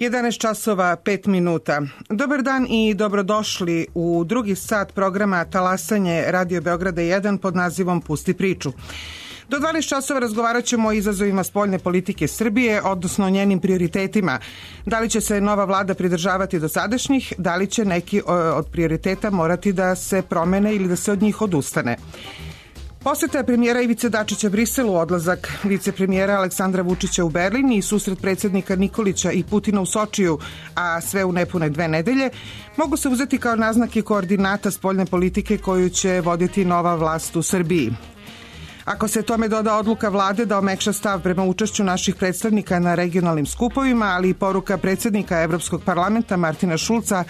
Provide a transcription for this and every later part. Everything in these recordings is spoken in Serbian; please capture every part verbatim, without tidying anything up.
jedanaest časova pet minuta. Dobar dan i dobrodošli u drugi sat programa Talasanje Radio Beograda jedan pod nazivom Pusti priču. Do dvanaest časova razgovarat ćemo o izazovima spoljne politike Srbije, odnosno o njenim prioritetima. Da li će se nova vlada pridržavati dosadašnjih, da li će neki od prioriteta morati da se promene ili da se od njih odustane. Poseta premijera Ivice Dačića Briselu, odlazak vicepremijera Aleksandra Vučića u Berlin i susret predsjednika Nikolića i Putina u Sočiju, a sve u nepune dve nedelje, mogu se uzeti kao naznake koordinata spoljne politike koju će voditi nova vlast u Srbiji. Ako se tome doda odluka vlade da omekša stav prema učešću naših predstavnika na regionalnim skupovima, ali i poruka predsjednika Evropskog parlamenta Martina Šulca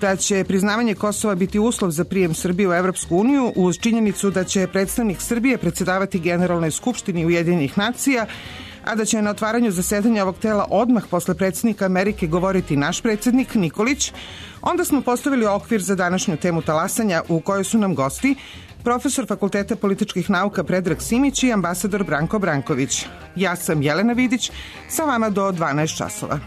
da će priznavanje Kosova biti uslov za prijem Srbije u Evropsku uniju, uz činjenicu da će predstavnik Srbije predsjedavati Generalnoj skupštini Ujedinjenih nacija, a da će na otvaranju zasedanja ovog tela odmah posle predsjednika Amerike govoriti naš predsjednik Nikolić, onda smo postavili okvir za današnju temu talasanja u kojoj su nam gosti profesor Fakulteta političkih nauka Predrag Simić i ambasador Branko Branković. Ja sam Jelena Vidić, sa vama do dvanaest časova.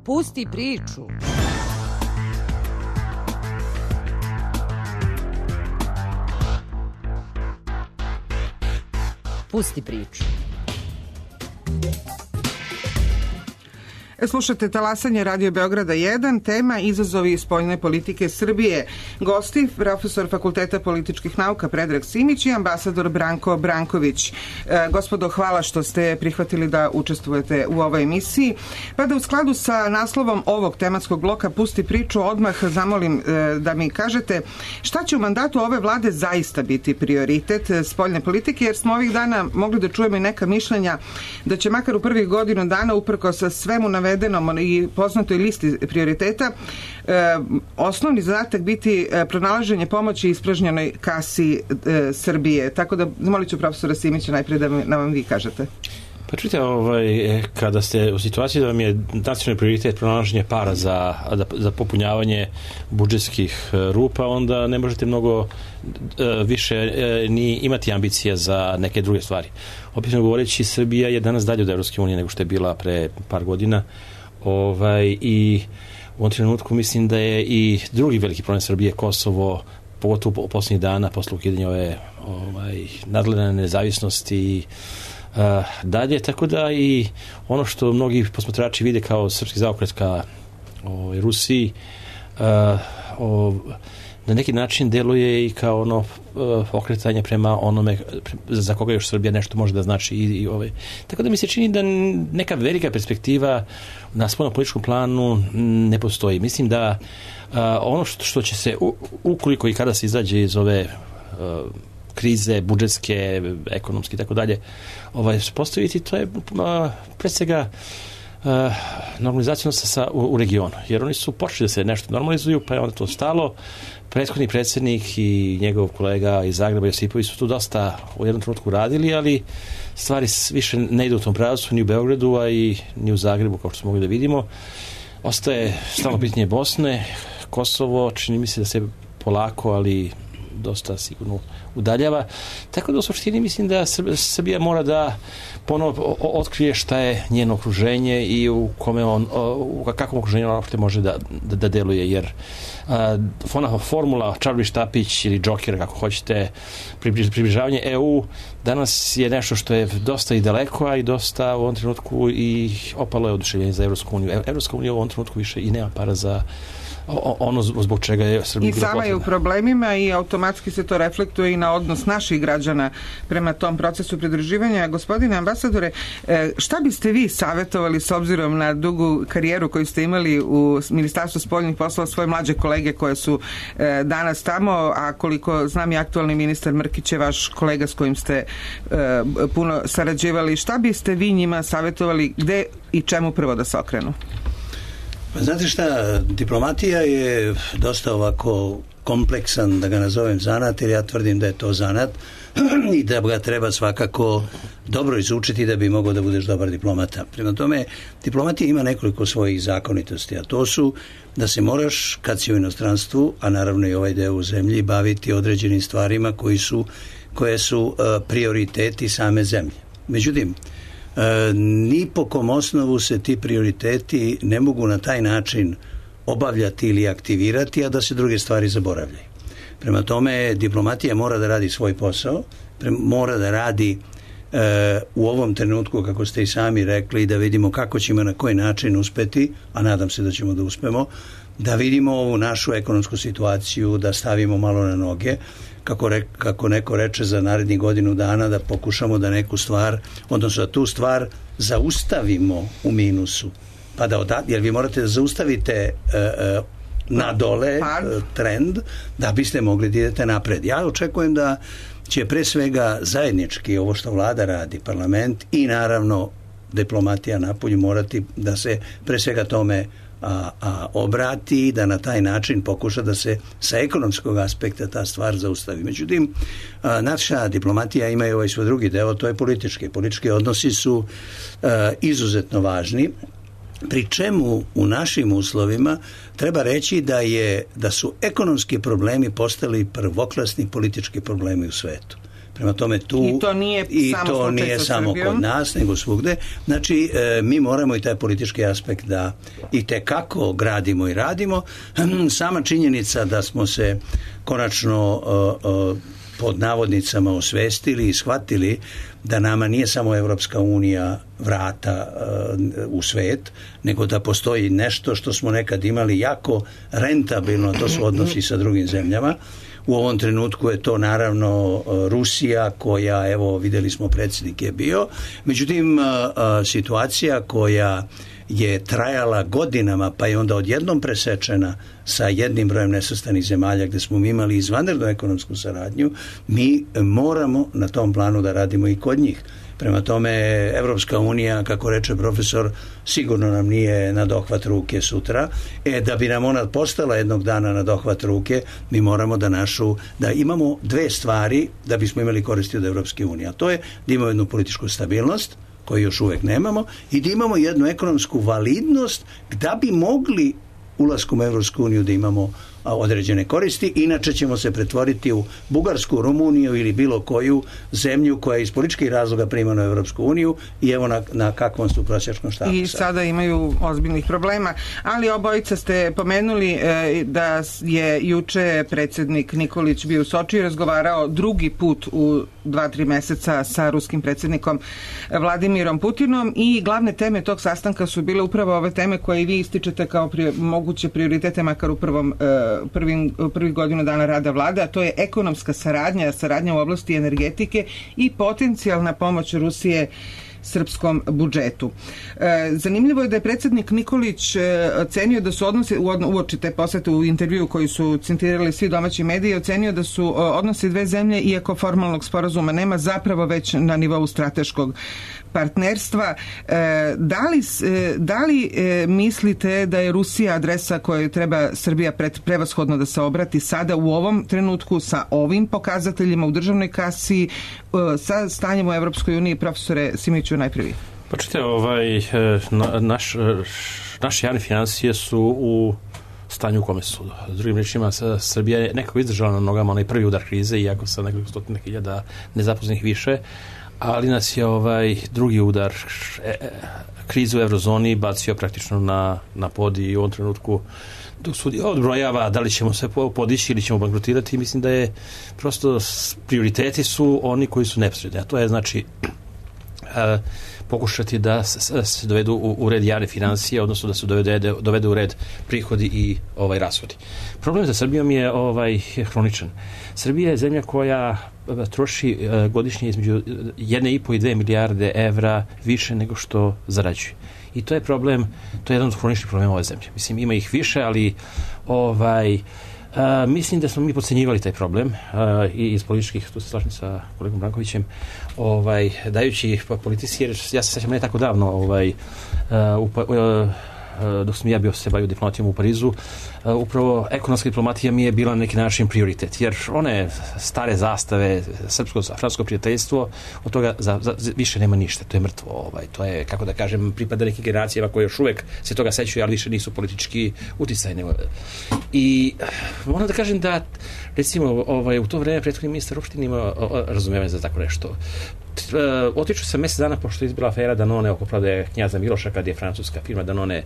Pusti priču. Pusti priču. E, slušate Talasanje Radio Beograda jedan, tema izazovi spoljne politike Srbije. Gosti, profesor Fakulteta političkih nauka Predrag Simić i ambasador Branko Branković. E, gospodo, hvala što ste prihvatili da učestvujete u ovoj emisiji. Pa da u skladu sa naslovom ovog tematskog bloka Pusti priču odmah zamolim e, da mi kažete šta će u mandatu ove vlade zaista biti prioritet spoljne politike, jer smo ovih dana mogli da čujemo i neka mišljenja da će makar u prvih godinu dana uprkos svemu navedenom i poznatoj listi prioriteta e, osnovni zadatak biti e, pronalaženje pomoći ispražnjenoj kasi e, Srbije. Tako da zamolit ću profesora Simića najprije da nam vam vi kažete. Pa čujte, ovaj, kada ste u situaciji da vam je nacionalni prioritet pronalaženje para za, za popunjavanje budžetskih rupa, onda ne možete mnogo više ni imati ambicija za neke druge stvari. Opisno govoreći, Srbija je danas dalje od Evropske unije nego što je bila pre par godina, ovaj, i u ovom trenutku mislim da je i drugi veliki problem Srbije, Kosovo, pogotovo u posljednjih dana posle ukidanja ove ovaj, nadgledane nezavisnosti i uh, dalje, tako da i ono što mnogi posmatrači vide kao srpski zaokret ka ovaj, Rusiji uh, o, na neki način deluje i kao ono uh, okretanje prema onome za koga još Srbija nešto može da znači i, i ove. Tako da mi se čini da neka velika perspektiva na spoljnom političkom planu ne postoji. Mislim da uh, ono što, što će se u, ukoliko i kada se izađe iz ove uh, krize budžetske, ekonomske i tako dalje, ovaj postaviti, to je uh, pre svega Uh, normalizacija sa, u, u regionu, jer oni su počeli da se nešto normalizuju, pa je onda to stalo. Prethodni predsjednik i njegov kolega iz Zagreba Josipović su tu dosta u jednom trenutku radili, ali stvari više ne idu u tom pravcu ni u Beogradu, a i ni u Zagrebu, kao što smo mogli da vidimo. Ostaje stalno pitanje Bosne, Kosovo, čini mi se da se polako, ali dosta sigurno udaljava. Tako da u suštini mislim da Srbija mora da ponovo otkrije šta je njeno okruženje i u kome on, u kakvom okruženju on može da, da, da deluje, jer a, ona formula čarobni štapić ili džoker, kako hoćete, približavanje E U danas je nešto što je dosta i daleko, a i dosta u ovom trenutku i opalo je oduševljenje za Evropsku uniju. Evropska unija u ovom trenutku više i nema para za ono zbog čega je Srbija bila potrebna. I sama je u problemima i automatski se to reflektuje i na odnos naših građana prema tom procesu pridruživanja. Gospodine ambasadore, šta biste vi savjetovali s obzirom na dugu karijeru koju ste imali u Ministarstvu spoljnih poslova, svoje mlađe kolege koje su danas tamo, a koliko znam i aktualni ministar Mrkić je vaš kolega s kojim ste puno sarađivali. Šta biste vi njima savjetovali, gde i čemu prvo da se okrenu? Znate šta, diplomatija je dosta ovako kompleksan, da ga nazovem zanat, jer ja tvrdim da je to zanat i da ga treba svakako dobro izučiti da bi mogao da budeš dobar diplomata. Prema tome, diplomatija ima nekoliko svojih zakonitosti, a to su da se moraš, kad si u inostranstvu, a naravno i ovaj deo u zemlji, baviti određenim stvarima koji su, koje su uh, prioriteti same zemlje. Međutim, E, ni po kom osnovu se ti prioriteti ne mogu na taj način obavljati ili aktivirati, a da se druge stvari zaboravljaju. Prema tome, diplomatija mora da radi svoj posao, pre, mora da radi e, u ovom trenutku, kako ste i sami rekli, da vidimo kako ćemo na koji način uspeti, a nadam se da ćemo da uspemo, da vidimo ovu našu ekonomsku situaciju, da stavimo malo na noge, Kako, re, kako neko reče za narednih godinu dana, da pokušamo da neku stvar, odnosno da tu stvar zaustavimo u minusu. Pa da oda, jer vi morate da zaustavite uh, uh, na dole uh, trend da biste mogli da idete napred. Ja očekujem da će pre svega zajednički ovo što vlada radi, parlament i naravno diplomatija napolju morati da se pre svega tome A, a obrati, da na taj način pokuša da se sa ekonomskog aspekta ta stvar zaustavi. Međutim, a, naša diplomatija ima i ovaj svoj drugi deo, to je politički. Politički odnosi su a, izuzetno važni, pri čemu u našim uslovima treba reći da, je, da su ekonomski problemi postali prvoklasni politički problemi u svetu. Prema tome tu i to nije i samo, to nije samo kod nas nego svugde. Znači e, mi moramo i taj politički aspekt da i tekako gradimo i radimo. Sama činjenica da smo se konačno o, o, pod navodnicama osvestili i shvatili da nama nije samo Evropska unija vrata uh, u svet, nego da postoji nešto što smo nekad imali jako rentabilno, to su odnosi sa drugim zemljama. U ovom trenutku je to naravno Rusija koja, evo videli smo predsjednik je bio, međutim situacija koja je trajala godinama pa je onda odjednom presečena sa jednim brojem nesvrstanih zemalja gde smo mi imali izvanrednu ekonomsku saradnju, mi moramo na tom planu da radimo i kod njih. Prema tome, Evropska unija, kako reče profesor, sigurno nam nije na dohvat ruke sutra. E, da bi nam ona postala jednog dana na dohvat ruke, mi moramo da našu, da imamo dve stvari da bismo imali koristi od Evropske unije. A to je da imamo jednu političku stabilnost, koju još uvek nemamo, i da imamo jednu ekonomsku validnost da bi mogli ulaskom u Evropsku uniju da imamo određene koristi, inače ćemo se pretvoriti u Bugarsku, Rumuniju ili bilo koju zemlju koja iz političkih razloga primana u Europsku uniju i evo na, na kakvom su prosječnom štapu. I sada imaju ozbiljnih problema, ali obojica ste pomenuli e, da je juče predsjednik Nikolić bio u Sočiju i razgovarao drugi put u dva, tri meseca sa ruskim predsjednikom Vladimirom Putinom i glavne teme tog sastanka su bile upravo ove teme koje i vi ističete kao pri, moguće prioritete makar u prvom, e, prvim, prvih godinu dana rada vlade, a to je ekonomska saradnja, saradnja u oblasti energetike i potencijalna pomoć Rusije srpskom budžetu. E, zanimljivo je da je predsjednik Nikolić e, ocenio da su odnosi, uoči te posete u intervju koji su citirali svi domaći mediji, ocenio da su o, odnosi dve zemlje, iako formalnog sporazuma nema, zapravo već na nivou strateškog partnerstva. E, da li, e, da li e, mislite da je Rusija adresa kojoj treba Srbija pred, prevashodno da se obrati sada u ovom trenutku sa ovim pokazateljima u državnoj kasi, e, sa stanjem u Evropskoj uniji? Profesore Simiću, najprvi. Pa čite, ovaj, na, naš, naše javne financije su u stanju u kome su. S drugim rečima, Srbija je nekako izdržala na nogama onaj prvi udar krize, iako sa nekoliko stotina hiljada nezaposlenih više, ali nas je ovaj drugi udar e, krize u eurozoni bacio praktično na, na pod i u ovom trenutku dok sudi odbrojava da li ćemo se podići ili ćemo bankrotirati, mislim da je prosto prioriteti su oni koji su neposredni, a to je znači e, pokušati da se dovedu u, u red javne financije, odnosno da se dovede, dovede u red prihodi i ovaj rashodi. Problem za Srbijom je ovaj hroničan. Srbija je zemlja koja troši godišnje između jedne i po i dve milijarde evra više nego što zarađuje. I to je problem, to je jedan od hroničnih problema ove zemlje. Mislim, ima ih više, ali ovaj Uh, mislim da smo mi podcenjivali taj problem uh, i iz političkih, tu se slažem sa kolegom Brankovićem, ovaj, dajući politici, jer ja se sjećam ne tako davno ovaj, uh, uh, uh, dok sam ja bio se bavio diplomatijom u Parizu, uh, upravo ekonomska diplomatija mi je bila na neki način prioritet, jer one stare zastave, srpsko-francusko prijateljstvo, od toga za, za, više nema ništa, to je mrtvo, ovaj, to je, kako da kažem, pripada nekim generacijama koje još uvek se toga sećaju, ali više nisu politički uticajne. I moram da kažem da, recimo, ovaj, u to vreme prethodni ministar uopšte nima razumevanje za tako nešto. Uh, otiču se mjesec dana pošto je izbila afera Danone oko prodaje knjaza Miloša, kad je francuska firma Danone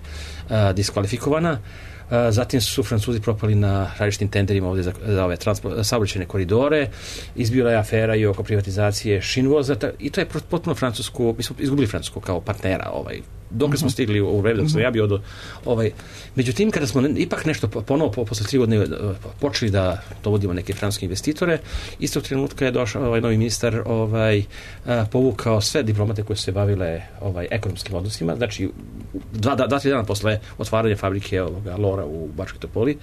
uh, diskvalifikovana. Uh, zatim su Francuzi propali na različitim tenderima ovdje za, za ove saobraćajne koridore. Izbila je afera i oko privatizacije Šinvoza i to je potpuno Francusku, mi smo izgubili Francusku kao partnera ovaj, dok smo stigli u vreme dok sam ja bio do, ovaj, međutim kada smo ipak nešto ponovo po, posle tri godine počeli da dovodimo neke francuske investitore, istog trenutka je došao ovaj novi ministar ovaj, a, povukao sve diplomate koje su se bavile ovaj, ekonomskim odnosima, znači dva, dva, dva tri dana posle otvaranja fabrike ovoga Lora u Bačkoj Topoli,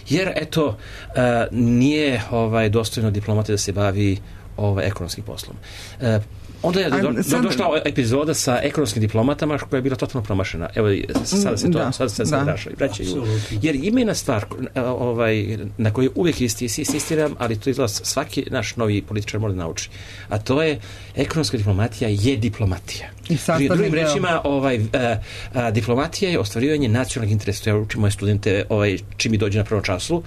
jer eto a, nije ovaj, dostojno diplomate da se bavi ovaj, ekonomskim poslom. A, onda je do, do, do, došla epizoda sa ekonomskim diplomatama koja je bila totalno promašena. Evo, sada se to da, sada se sada vraćaju. vraćaju. Jer ima jedna stvar ovaj, na kojoj uvijek isti, insistiram, ali to izgleda svaki naš novi političar mora da nauči. A to je ekonomska diplomatija je diplomatija. I drugim rečima, ovaj, a, a, diplomatija je ostvarivanje nacionalnih interesa. Ja učim moje studente ovaj, čim mi dođe na prvom času.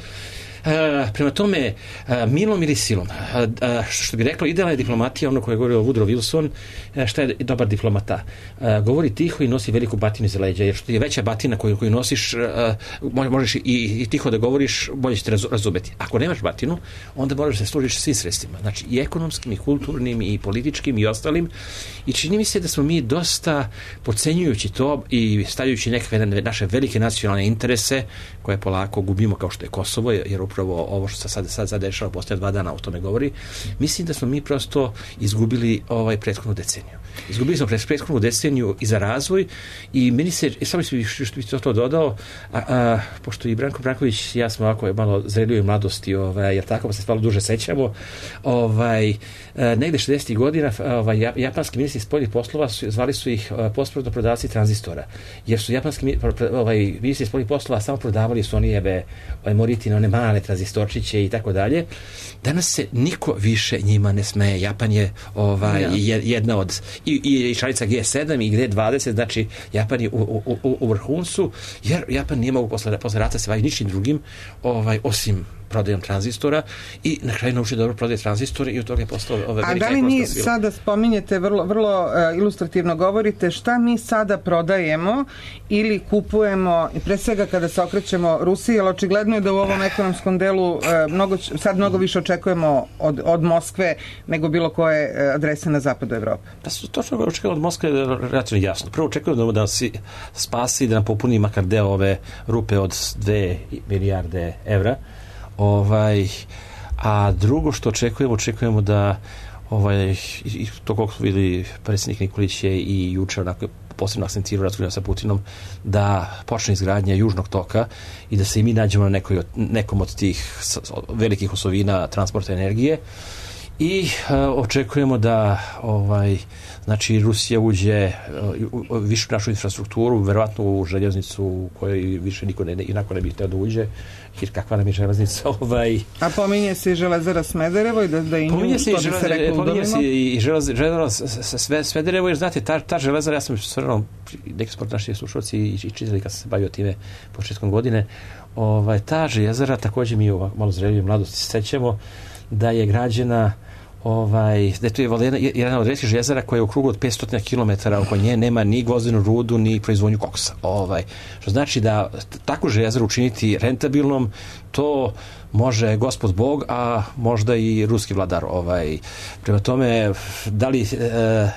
Uh, prema tome, uh, milom ili silom, uh, uh, što bi rekla, idealna je diplomatija, ono koje je govorio Woodrow Wilson, uh, šta je dobar diplomata. Uh, govori tiho i nosi veliku batinu iza leđa, jer što je veća batina koju, koju nosiš, uh, možeš i, i tiho da govoriš, bolje ćete raz, razumeti. Ako nemaš batinu, onda moraš da se služiš svim sredstvima, znači i ekonomskim, i kulturnim, i političkim, i ostalim. I čini mi se da smo mi dosta podcenjujući to i stavljajući neke naše velike nacionalne interese, koje polako gubimo, kao što je Kosovo, jer upravo ovo što se sad, sad zadešava poslije dva dana o tome govori, mislim da smo mi prosto izgubili ovaj prethodnu deceniju. Izgubili smo prethodnu deceniju i za razvoj i meni se, samo što bih to, to dodao, a, a, pošto i Branko Branković i ja smo ovako malo zreliju mladosti, ovaj, jer tako pa se malo duže sećamo, ovaj, a, negde šezdesetih godina ovaj, japanski ministri spoljnih poslova su, zvali su ih posprodno prodavci tranzistora, jer su japanski ovaj, ministri spoljnih poslova samo prodavali Sonijeve ovaj, Moritine, one male one tranzistorčiće i tako dalje. Danas se niko više njima ne smeje. Japan je ovaj, ja. jedna od i, i članica G sedam i G dvadeset, znači Japan je u, u, u, u vrhuncu, jer Japan nije mogu posle, posle rata se bavi ničim drugim ovaj, osim prodajom tranzistora i na kraju naučio dobro prodaje tranzistore i od toga je postao ove velike. A da li mi sada spominjete, vrlo, vrlo uh, ilustrativno govorite, šta mi sada prodajemo ili kupujemo, i pre svega kada se okrećemo Rusiji, jer očigledno je da u ovom ekonomskom delu uh, mnogo, sad mnogo više očekujemo od, od Moskve nego bilo koje uh, adrese na zapadu Evrope. Da su točno očekujemo od Moskve relativno jasno. Prvo očekujemo da nas spasi, da nam popuni makar deo ove rupe od dve milijarde evra. Ovaj, a drugo što očekujemo, očekujemo da ovaj, i to koliko su vidjeli predsjednik Nikolić je i juče onako posebno akcentirao razgovarao sa Putinom da počne izgradnja južnog toka i da se i mi nađemo na nekoj, nekom od tih velikih osovina transporta energije i uh, očekujemo da ovaj, znači Rusija uđe uh, u višu našu infrastrukturu, verovatno u željeznicu u kojoj više niko ne, inako ne bi htio da uđe, jer kakva nam je železnica. Ovaj... A pominje se i Železara Smederevo i da, da i nju, pominje se, to bi se reklo udomimo? Pominje se i Železara Smederevo, jer znate, ta, ta Železara, ja sam stvarno, neki sport naši slušalci i, i čitali kad sam se bavio time početkom godine, ovaj, ta Železara, također mi u malo zrelije mladosti sećamo da je građena ovaj, da je to je jedna od retkih željezara koja je u krugu od petsto kilometara oko nje nema ni gvozdenu rudu ni proizvodnju koksa. Ovaj, što znači da takvu željezaru učiniti rentabilnom, to može gospod Bog, a možda i ruski vladar. Ovaj. Prema tome, da li e,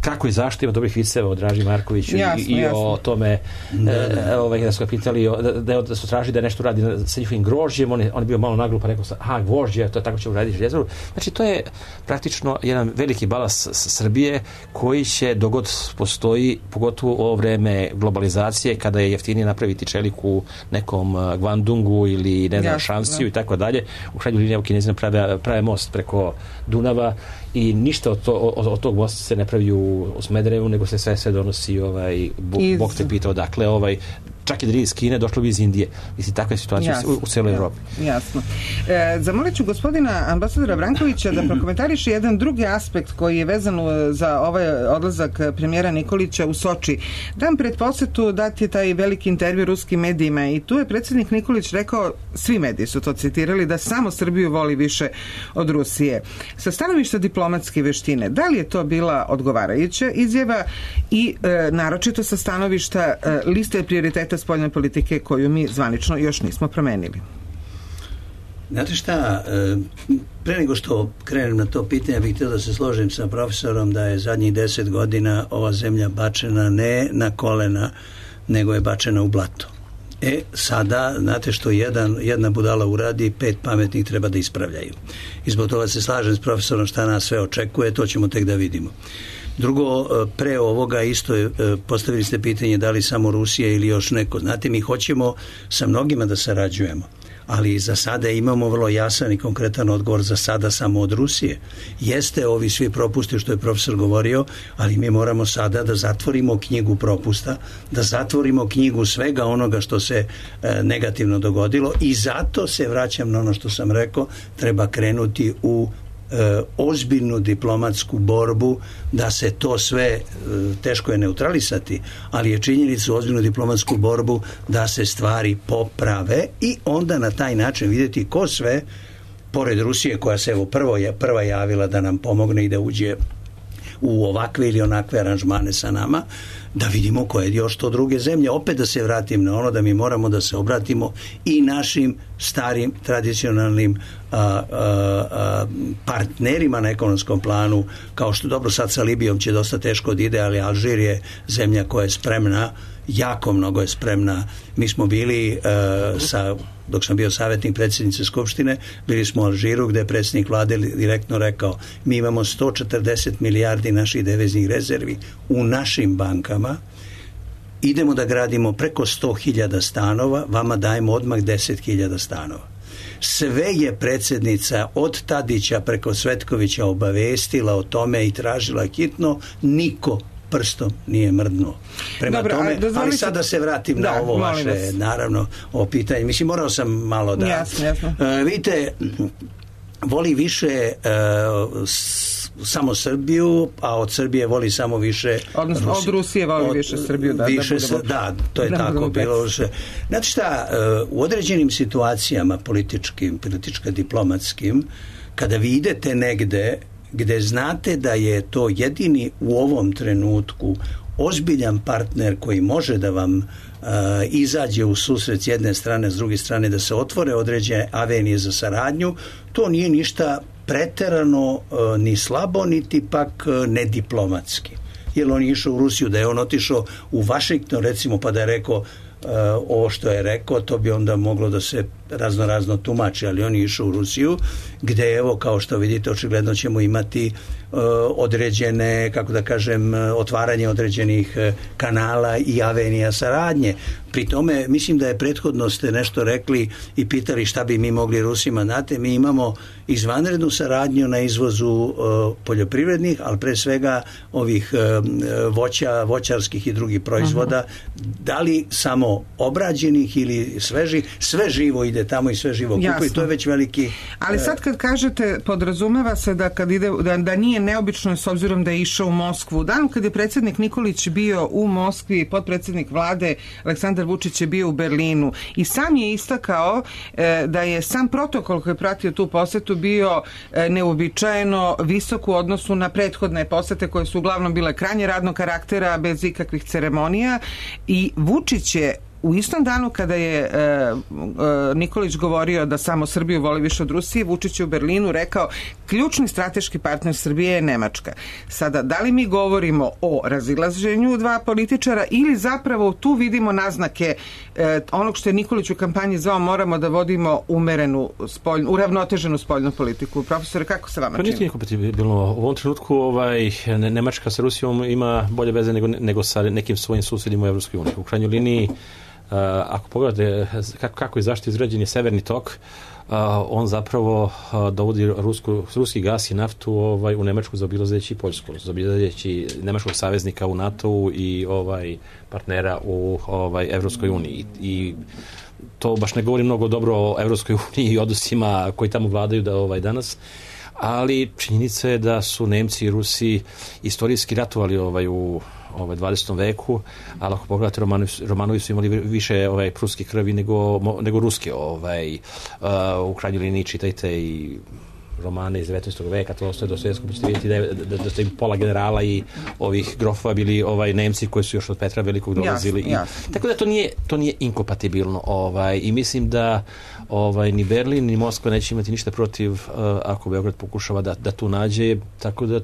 kako i zašto ima dobrih viceva o Draži Markoviću jasno, i, i jasno. O tome da, e, ovaj, da su ga pitali da, da, da su tražili da nešto radi sa njihovim grožđem, on je, on je bio malo naglup pa rekao sa, aha, gvožđe, to je tako će uraditi željezaru. Znači to je praktično jedan veliki balans Srbije koji će dogod postoji, pogotovo u ovo vreme globalizacije kada je jeftinije napraviti čelik u nekom Guangdongu ili ne znam, Šansiju i tako dalje. U krajnjoj liniji Kinezi prave, prave most preko Dunava i ništa od, to, od, od tog mosta se ne pravi u, u Smederevu, nego se sve sve donosi ovaj, bo, iz... Bog te pita odakle, ovaj, čak i da iz Kine, došlo bi iz Indije. Mislim, takva je situacija u, u celoj Evropi. Jasno. E, zamolit ću gospodina ambasadora Brankovića da prokomentariše jedan drugi aspekt koji je vezan za ovaj odlazak premijera Nikolića u Soči. Dan pred posetu dat je taj veliki intervju ruskim medijima i tu je predsjednik Nikolić rekao, svi mediji su to citirali, da samo Srbiju voli više od Rusije. Sa stanovišta diplomatske veštine, da li je to bila odgovarajuća izjava i e, naročito sa stanovišta e, liste prioriteta spoljne politike koju mi zvanično još nismo promenili? Znate šta, pre nego što krenem na to pitanje, bih htio da se složim sa profesorom da je zadnjih deset godina ova zemlja bačena ne na kolena, nego je bačena u blato. E, sada, znate što jedan, jedna budala uradi, pet pametnih treba da ispravljaju. I zbog toga se slažem s profesorom šta nas sve očekuje, to ćemo tek da vidimo. Drugo, pre ovoga isto je, postavili ste pitanje da li samo Rusija ili još neko. Znate, mi hoćemo sa mnogima da sarađujemo, ali za sada imamo vrlo jasan i konkretan odgovor, za sada samo od Rusije. Jeste ovi svi propusti što je profesor govorio, ali mi moramo sada da zatvorimo knjigu propusta, da zatvorimo knjigu svega onoga što se e, negativno dogodilo i zato se vraćam na ono što sam rekao, treba krenuti u E, ozbiljnu diplomatsku borbu da se to sve e, teško je neutralisati, ali je činjenica ozbiljnu diplomatsku borbu da se stvari poprave i onda na taj način vidjeti ko sve pored Rusije koja se evo prvo je prva javila da nam pomogne i da uđe u ovakve ili onakve aranžmane sa nama, da vidimo koje još to druge zemlje. Opet da se vratim na ono da mi moramo da se obratimo i našim starim tradicionalnim a, a, a, partnerima na ekonomskom planu, kao što dobro sad sa Libijom će dosta teško da ide, ali Alžir je zemlja koja je spremna, jako mnogo je spremna. Mi smo bili uh, sa, dok sam bio savjetnik predsjednice Skupštine, bili smo u Alžiru gdje je predsjednik vlade direktno rekao, mi imamo sto četrdeset milijardi naših deviznih rezervi u našim bankama, idemo da gradimo preko sto hiljada stanova, vama dajemo odmah deset hiljada stanova. Sve je predsjednica od Tadića preko Cvetkovića obavestila o tome i tražila hitno, niko prstom nije mrdnuo. Prema Dobro, tome, dozvolite... ali sad da se vratim da, na ovo vaše, vas. naravno, ovo pitanje. Mislim, morao sam malo da... Jasno, jasno. Uh, vidite, voli više uh, s, samo Srbiju, a od Srbije voli samo više odnosno Rusi, od Rusije voli od, više Srbiju, da, više, da, budemo, da, to je da tako bilo. Znate šta, uh, u određenim situacijama političkim, politička diplomatskim, kada vi idete negde gde znate da je to jedini u ovom trenutku ozbiljan partner koji može da vam uh, izađe u susret s jedne strane, s druge strane da se otvore određene avenije za saradnju, to nije ništa preterano uh, ni slabo, niti pak uh, nediplomatski. Jer on je išao u Rusiju, da je on otišao u Vašington, recimo, pa da je rekao Uh, ovo što je rekao, to bi onda moglo da se razno razno tumači, ali on je išao u Rusiju, gde evo, kao što vidite, očigledno ćemo imati uh, određene, kako da kažem, otvaranje određenih uh, kanala i avenija saradnje. Pri tome, mislim da je prethodno ste nešto rekli i pitali šta bi mi mogli Rusima dati. Mi imamo izvanrednu saradnju na izvozu uh, poljoprivrednih, ali pre svega ovih uh, voća, voćarskih i drugih proizvoda. Uh-huh. Da li samo obrađenih ili svežih, sve živo ide tamo i sve živo kupu i to je već veliki... Ali sad kad kažete, podrazumeva se da kad ide, da, da nije neobično s obzirom da je išao u Moskvu. U danu kad je predsjednik Nikolić bio u Moskvi, potpredsjednik vlade Aleksandar Vučić je bio u Berlinu i sam je istakao e, da je sam protokol koji je pratio tu posetu bio e, neuobičajeno visok u odnosu na prethodne posete koje su uglavnom bile krajnje radnog karaktera bez ikakvih ceremonija i Vučić je u istom danu kada je e, e, Nikolić govorio da samo Srbiju voli više od Rusije, Vučić je u Berlinu rekao ključni strateški partner Srbije je Nemačka. Sada, da li mi govorimo o razilaženju dva političara ili zapravo tu vidimo naznake e, onog što je Nikolić u kampanji zvao moramo da vodimo umerenu, spoljnu, uravnoteženu spoljnu politiku. Profesore, kako se vama čini? Pa nije kompatibilno. U ovom trenutku ovaj, Nemačka sa Rusijom ima bolje veze nego, nego sa nekim svojim susjedima u Evropskoj uniji. U krajnjoj liniji Uh, ako pogledate kako, kako je zašto izrađen je Severni tok, uh, on zapravo uh, dovodi rusku, ruski gas i naftu ovaj, u Nemačku zaobilazeći Poljsku, zaobilazeći nemačkog saveznika u NATO-u i ovaj, partnera u ovaj, Evropskoj uniji. I, i to baš ne govori mnogo dobro o Evropskoj uniji i odnosima koji tamo vladaju da, ovaj, danas. Ali činjenica je da su Nemci i Rusi istorijski ratovali ovaj, u ovaj, dvadesetom veku, ali ako pogledate Romanovi, Romanovi su imali više ovaj, pruske krvi nego, nego ruske. Ovaj, uh, u krajnjoj liniji čitajte i romane iz devetnaestog veka, to ostaje do svjetskog, ćete vidjeti da, je, da, da ste pola generala i ovih grofova bili ovaj, Nemci koji su još od Petra Velikog dolazili. Jasno, jasno. I, tako da to nije, to nije inkompatibilno. Ovaj, I mislim da ovaj, ni Berlin ni Moskva neće imati ništa protiv uh, ako Beograd pokušava da, da tu nađe, tako da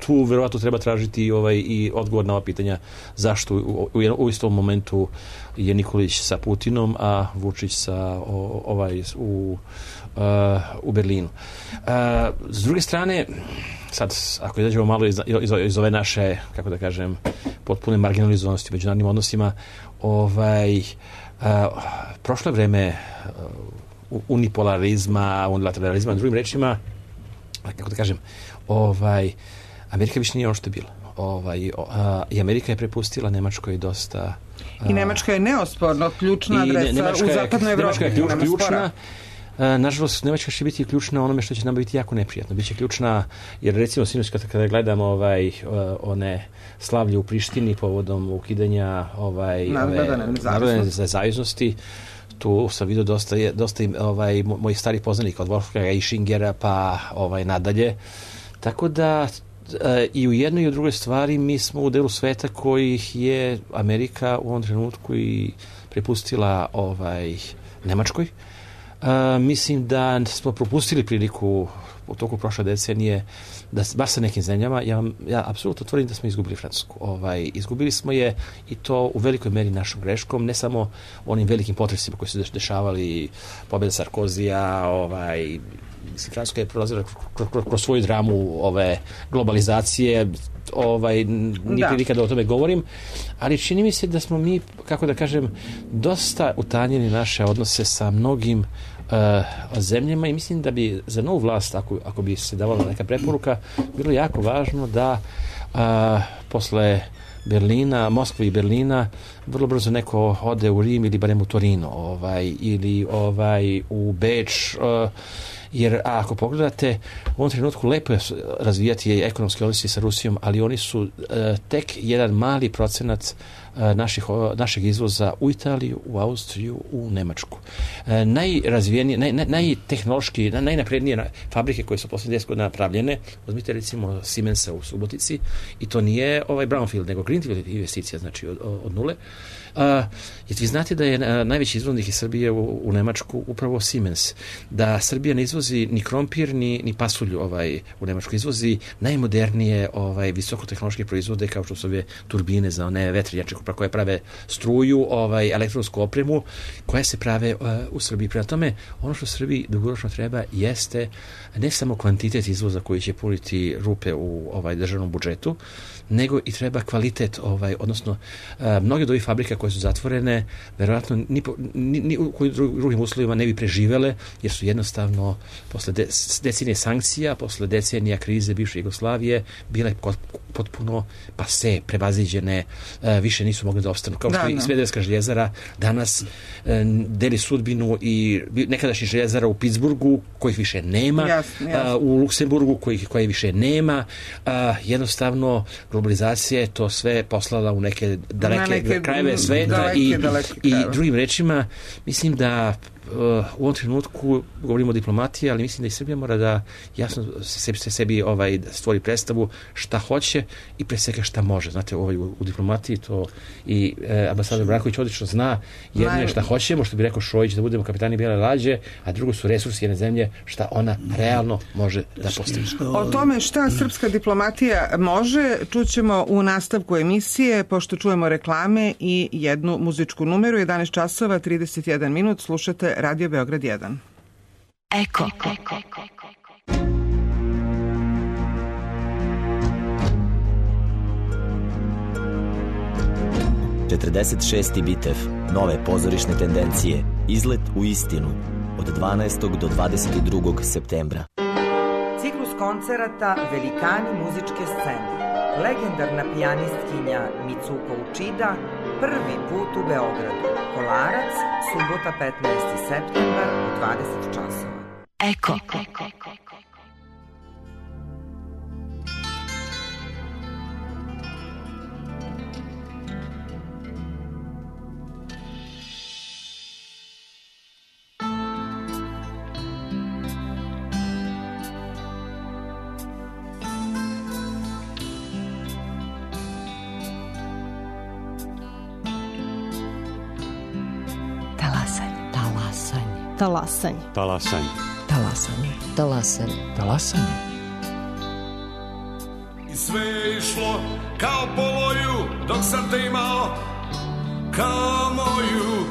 tu verovatno treba tražiti ovaj, i odgovor na ova pitanja zašto u, u, u istom momentu je Nikolić sa Putinom, a Vučić sa o, ovaj, u, uh, u Berlinu. Uh, s druge strane, sad ako izađemo malo iz, iz, iz ove naše, kako da kažem, potpune marginalizovanosti u međunarodnim odnosima, ovaj, uh, prošlo je vreme uh, unipolarizma, unilateralizma, drugim rečima, kako da kažem, ovaj, Amerika više nije ono što je bila. Ovaj, a, I Amerika je prepustila Nemačkoj dosta... A, I Nemačka je neosporno ključna adresa u zapadnoj Evropi. Nemačka je ključ, ključna. A, nažalost, Nemačka će biti ključna onome što će nam biti jako neprijatno. Biće ključna, jer recimo sinoć kada, kada gledamo ovaj, one slavlje u Prištini povodom ukidanja ovaj, narodne nezavisnosti, tu sam vidio dosta, dosta ovaj, mojih starih poznanika od Wolfganga i Schingera pa ovaj, nadalje. Tako da e, i u jednoj i u drugoj stvari mi smo u delu sveta kojih je Amerika u ovom trenutku i prepustila ovaj, Nemačkoj. E, mislim da smo propustili priliku u toku prošle decenije da baš sa nekim zemljama, ja, ja apsolutno tvrdim da smo izgubili Francusku. Ovaj, izgubili smo je i to u velikoj meri našom greškom, ne samo onim velikim potresima koji su dešavali, pobjeda Sarkozija, ovaj, mislim, Francuska je prolazila kroz, kroz, kroz svoju dramu ove globalizacije, ovaj, nije prilika da o tome govorim, ali čini mi se da smo mi, kako da kažem, dosta utanjili naše odnose sa mnogim uh, zemljama i mislim da bi za novu vlast, ako, ako bi se davala neka preporuka, bilo jako važno da a, posle Berlina, Moskve i Berlina, vrlo brzo neko ode u Rim ili barem u Torino, ovaj, ili ovaj, u Beč, uh, jer a ako pogledate, u ovom trenutku lepo je razvijati ekonomske odnose sa Rusijom, ali oni su uh, tek jedan mali procenat uh, naših, uh, našeg izvoza u Italiju, u Austriju, u Nemačku. Uh, najrazvijenije, naj, naj, najtehnološki, naj, najnaprednije fabrike koje su posljednjih deset godina napravljene, uzmite recimo Siemensa u Subotici, i to nije ovaj brownfield, nego greenfield investicija, znači od, od nule. Uh, jer vi znate da je uh, najveći izvoznik iz Srbije u, u Nemačku upravo Siemens, da Srbija ne izvozi ni krompir ni, ni pasulju ovaj, u Nemačku, izvozi najmodernije ovaj, visokotehnološke proizvode kao što su ove turbine za one vetrenjače koje prave struju, ovaj, elektronsku opremu koje se prave uh, u Srbiji. Prema tome, ono što Srbiji dugoročno treba jeste ne samo kvantitet izvoza koji će puniti rupe u ovaj, državnom budžetu, nego i treba kvalitet, ovaj, odnosno uh, mnoge od ovih fabrika koje su zatvorene, verovatno ni, ni, ni u kojim drugim uslovima ne bi preživele, jer su jednostavno posle de, decenije sankcija, posle decenija krize bivše Jugoslavije, bile potpuno pase, prevaziđene, uh, više nisu mogli da opstanu. Kao što i Smederevska željezara danas uh, deli sudbinu i nekadašnji željezara u Pittsburghu, kojih više nema, jasne, jasne. Uh, u Luksemburgu, kojih, koje više nema. Uh, jednostavno, globalizacija je to sve poslala u neke daleke neke, krajeve sveta daleke, i, daleke i drugim rečima, mislim da uh, u ovom trenutku govorimo o diplomatiji, ali mislim da i Srbija mora da jasno sebi, sebi ovaj, stvori predstavu šta hoće i pre svega šta može. Znate, ovaj, u, u diplomatiji to i eh, ambasador Branković odlično zna. Jedno je šta hoćemo, što bi rekao Šojić, da budemo kapitani bijele lađe, a drugo su resursi jedne zemlje, šta ona realno može da postigne. O tome šta srpska diplomatija može čućemo u nastavku emisije, pošto čujemo reklame i jednu muzičku numeru. jedanaest časova trideset jedan minut, slušate Radio Beograd jedan. Eko. Eko. četrdeset šesti bitev, nove pozorišne tendencije, izlet u istinu, od dvanaestog do dvadeset drugog septembra. Ciklus koncerata Velikani muzičke scene. Legendarna pijanistkinja Mitsuko Uchida prvi put u Beogradu. Kolarac, subota petnaesti septembar u dvadeset časova. Eko. Talasanje. Talasanje. Talasanje. Talasanje. Talasanje. I sve je išlo kao po voju, dok sam te imao kao moju.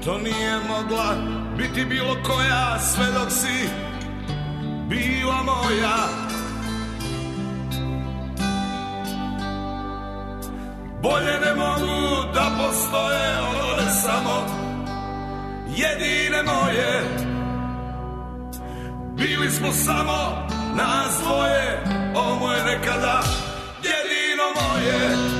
To nije mogla biti bilo koja, sve dok si bila moja. Bolje ne mogu da postoje one samo jedine moje. Bili smo samo nas dvoje, ovo je nekada jedino moje.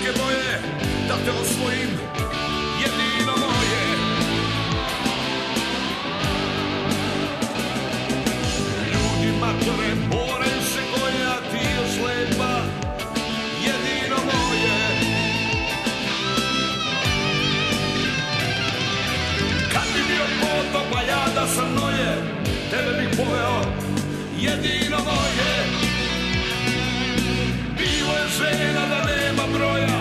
Boje, da te osvojim, jedino moje. Ljudi matore moraju se goje, a ti još lepa, jedino moje. Kad bi bio potop, a ja da sam noje, tebe bih pojeo, jedino moje. Bilo je žena da nema broja,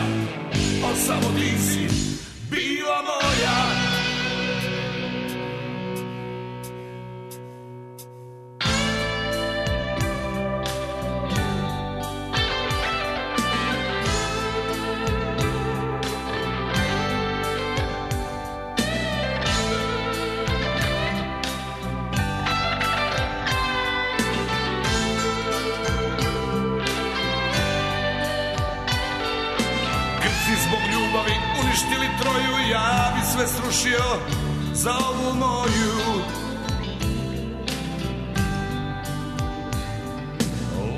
ali samo ti si bila moja. sve srušio za ovu moju.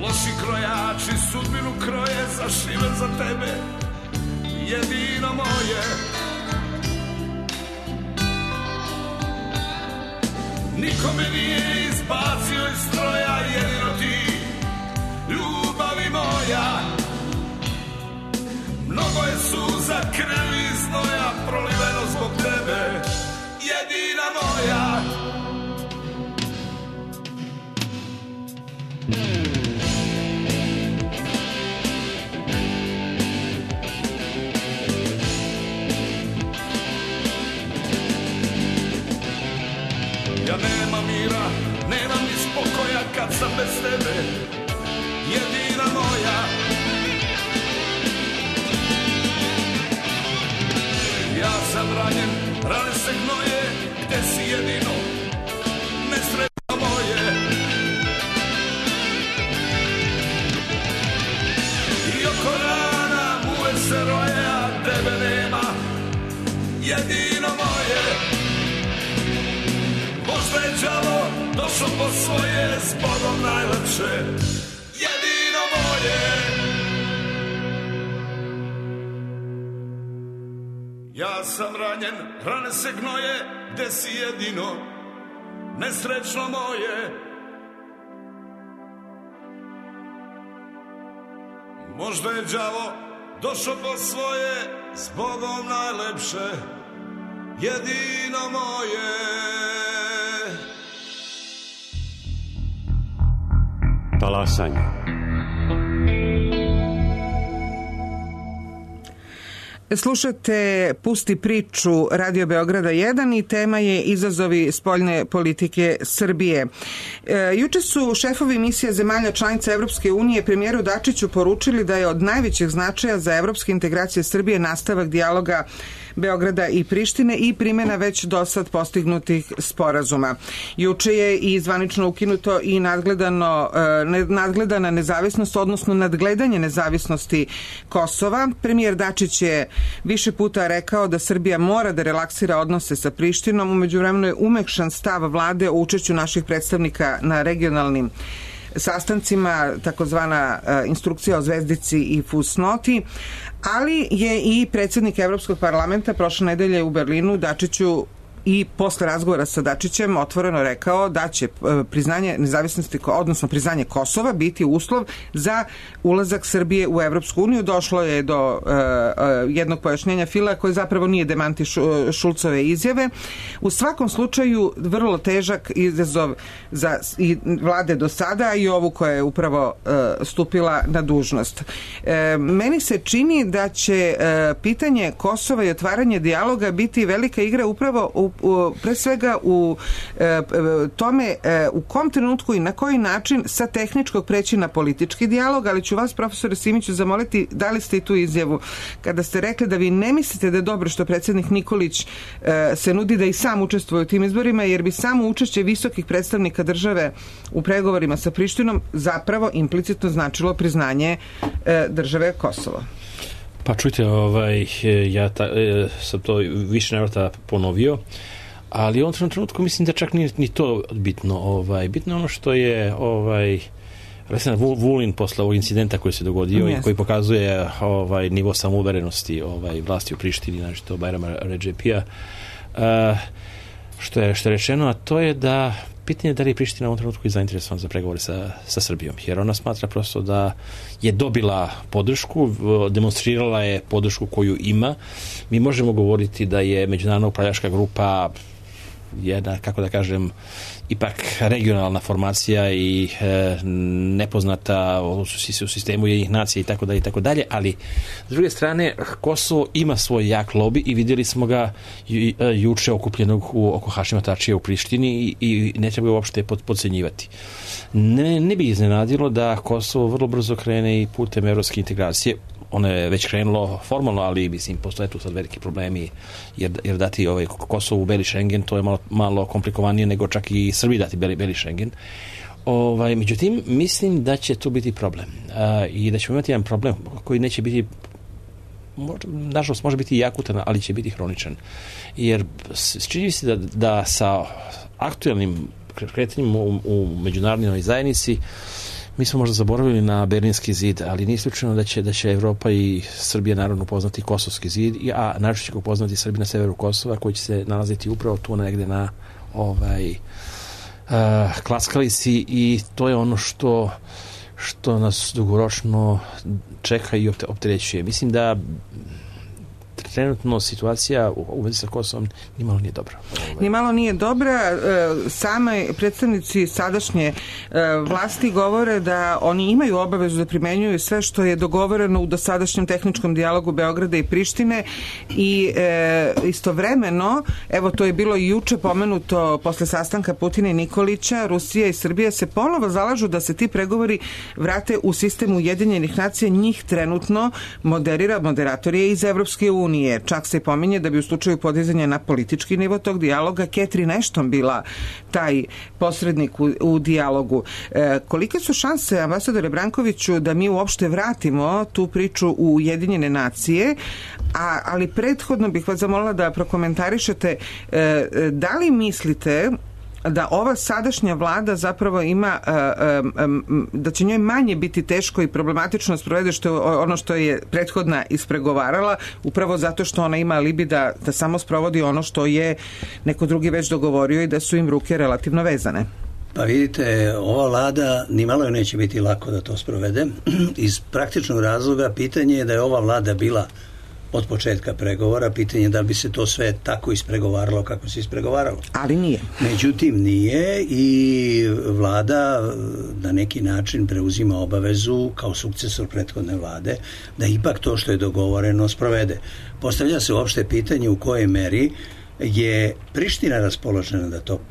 Loši krojači sudbinu kroje zašive za tebe, jedino moje. Niko me nije izbacio iz stroja, jedino ti, ljubavi moja. Mnogo je suza, krvi i znoja proliveno zbog tebe, jedina moja. Ja nemam mira, nemam ni spokoja kad sam bez tebe, jedina moja. Ja sam ranjen, rane se gnoje, gde si jedino, nesretno moje. I oko rana muve se roje, a tebe nema, jedino moje. Možda je đavo došao po svoje, s Bogom najlepše, jedino moje. Ja sam ranjen, rane se gnoje, gde si jedino, nesrećno moje. Možda je đavo došao po svoje, s Bogom najlepše, jedino moje. Talasanje. Slušate Pusti priču Radio Beograda jedan i tema je izazovi spoljne politike Srbije. E, juče su šefovi misija zemalja članica Evropske unije premijeru Dačiću poručili da je od najvećeg značaja za evropske integracije Srbije nastavak dijaloga Beograda i Prištine i primjena već do sad postignutih sporazuma. Juče je i zvanično ukinuto i nadgledano, nadgledana nezavisnost, odnosno nadgledanje nezavisnosti Kosova. Premijer Dačić je više puta rekao da Srbija mora da relaksira odnose sa Prištinom. U međuvremenu je umekšan stav vlade o učešću naših predstavnika na regionalnim sastancima, takozvana instrukcija o zvezdici i fusnoti, ali je i predsjednik Evropskog parlamenta prošle nedelje u Berlinu Dačiću i posle razgovora sa Dačićem otvoreno rekao da će priznanje nezavisnosti, odnosno priznanje Kosova biti uslov za ulazak Srbije u Evropsku uniju. Došlo je do uh, jednog pojašnjenja Fila koji zapravo nije demanti Šulcove izjave. U svakom slučaju vrlo težak izazov za i vlade do sada i ovu koja je upravo uh, stupila na dužnost. Uh, meni se čini da će uh, pitanje Kosova i otvaranje dijaloga biti velika igra upravo u U, pre svega u e, tome e, u kom trenutku i na koji način sa tehničkog preći na politički dijalog, ali ću vas, profesore Simiću, zamoliti da li ste i tu izjavu kada ste rekli da vi ne mislite da je dobro što predsjednik Nikolić e, se nudi da i sam učestvuje u tim izborima, jer bi samo učešće visokih predstavnika države u pregovorima sa Prištinom zapravo implicitno značilo priznanje e, države Kosovo. Pa čujte, ovaj, ja ta, e, sam to više navrata ponovio, ali u ovom trenutku mislim da čak nije ni to bitno. Ovaj, bitno je ono što je ovaj, Aleksandar Vulin posle ovog incidenta koji se dogodio yes. i koji pokazuje ovaj, nivo samouverenosti ovaj, vlasti u Prištini, znači to Bajrama Redžepija, uh, što je, što je rečeno, a to je da pitanje je da li je Priština u ovom trenutku i zainteresovana za pregovore sa, sa Srbijom, jer ona smatra prosto da je dobila podršku, demonstrirala je podršku koju ima. Mi možemo govoriti da je međunarodna upravljačka grupa jedna, kako da kažem, ipak regionalna formacija i e, nepoznata u sistemu jednih nacija i tako dalje i tako dalje, ali s druge strane Kosovo ima svoj jak lobi i vidjeli smo ga ju, juče okupljenog u, oko Hašima Tačija u Prištini i, i ne treba ga uopšte pod, podcenjivati. Ne, ne bi iznenadilo da Kosovo vrlo brzo krene i putem evropske integracije. Ono je već krenulo formalno, ali mislim postoje tu sad veliki problemi, jer, jer dati ovaj Kosovo u beli Schengen, to je malo, malo komplikovanije nego čak i Srbiji dati beli, beli Schengen. Ovaj, međutim, mislim da će tu biti problem uh, i da ćemo imati jedan problem koji neće biti nažalost može biti i akutan, ali će biti hroničan. Jer čini se da, da sa aktualnim kretanjem u, u međunarodnoj zajednici mi smo možda zaboravili na Berlinski zid, ali nije isključeno da će, da će Evropa i Srbija naravno upoznati Kosovski zid, a naravno će upoznati Srbija na severu Kosova, koji će se nalaziti upravo tu negde na ovaj uh, klackalici, i to je ono što što nas dugoročno čeka i opterećuje. Mislim da trenutno situacija u vezi sa Kosovom nimalo nije dobra. Nimalo nije dobra. Same predstavnici sadašnje vlasti govore da oni imaju obavezu da primenjuju sve što je dogovoreno u dosadašnjem tehničkom dijalogu Beograda i Prištine, i e, istovremeno, evo to je bilo i juče pomenuto posle sastanka Putina i Nikolića, Rusija i Srbija se ponovo zalažu da se ti pregovori vrate u sistem Ujedinjenih nacija. Njih trenutno moderira moderatorije iz Evropske unije. Čak se pominje da bi u slučaju podizanja na politički nivo tog dijaloga Catherine Ashton bila taj posrednik u, u dijalogu. E, kolike su šanse, ambasadore Brankoviću, da mi uopšte vratimo tu priču u Ujedinjene nacije, a, ali prethodno bih vas zamolila da prokomentarišete e, da li mislite da ova sadašnja vlada zapravo ima, da će njoj manje biti teško i problematično sprovede što je ono što je prethodna ispregovarala, upravo zato što ona ima alibi da, da samo sprovodi ono što je neko drugi već dogovorio i da su im ruke relativno vezane. Pa vidite, ova vlada nimalo joj neće biti lako da to sprovede. Iz praktičnog razloga pitanje je da je ova vlada bila od početka pregovora, pitanje da li bi se to sve tako ispregovaralo kako se ispregovaralo. Ali nije. Međutim, nije, i vlada na neki način preuzima obavezu kao sukcesor prethodne vlade da ipak to što je dogovoreno sprovede. Postavlja se uopšte pitanje u kojoj meri je Priština raspoložena da to uh,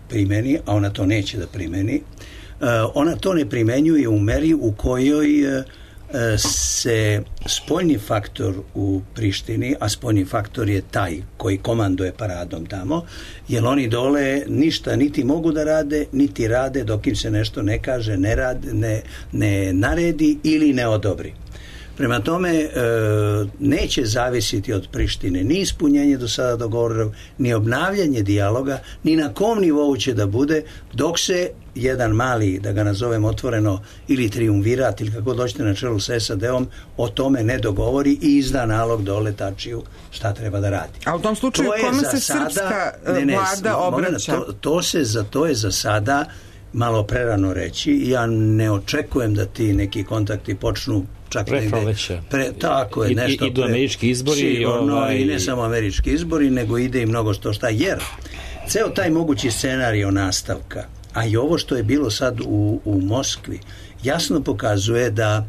primeni, a ona to neće da primeni. Uh, ona to ne primenjuje u meri u kojoj uh, se spoljni faktor u Prištini, a spoljni faktor je taj koji komanduje paradom tamo, jer oni dole ništa niti mogu da rade, niti rade dok im se nešto ne kaže, ne, rade, ne, ne naredi ili ne odobri. Prema tome, e, neće zavisiti od Prištine ni ispunjenje do sada dogovorenog, ni obnavljanje dijaloga, ni na kom nivou će da bude, dok se jedan mali, da ga nazovem otvoreno, ili triumvirat, ili kako dođete na čelu sa S A D-om, o tome ne dogovori i izda nalog dole Tačiju šta treba da radi. A u tom slučaju kome se sada, srpska ne, ne, vlada obraća? To, to, se za, to je za sada malo prerano reći. Ja ne očekujem da ti neki kontakti počnu čak negde, pre, tako je, nešto I, idu pre, američki izbori sigurno, ovaj... i ne samo američki izbori, nego ide i mnogo što šta, jer ceo taj mogući scenario nastavka, a i ovo što je bilo sad u, u Moskvi, jasno pokazuje da